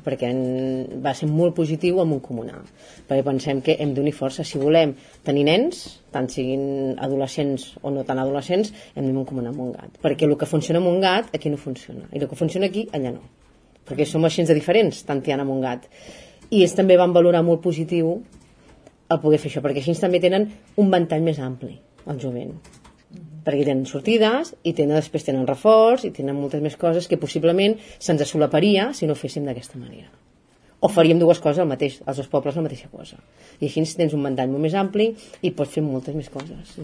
perquè va ser molt positiu amb un comunal, perquè pensem que hem d'unir força. Si volem tenir nens, tant siguin adolescents o no tan adolescents, hem d'unir un comunal amb un gat, perquè el que funciona amb un gat aquí no funciona, i el que funciona aquí allà no, perquè som així de diferents, tant Tiana amb un gat. I ells també van valorar molt positiu el poder fer això, perquè així també tenen un ventall més ampli al jovent, perquè tenen sortides i després tenen reforç i tenen moltes més coses que possiblement se'ns solaparia si no ho féssim d'aquesta manera, o faríem dues coses als dos pobles la mateixa cosa, i així tens un ventall molt més ampli i pots fer moltes més coses.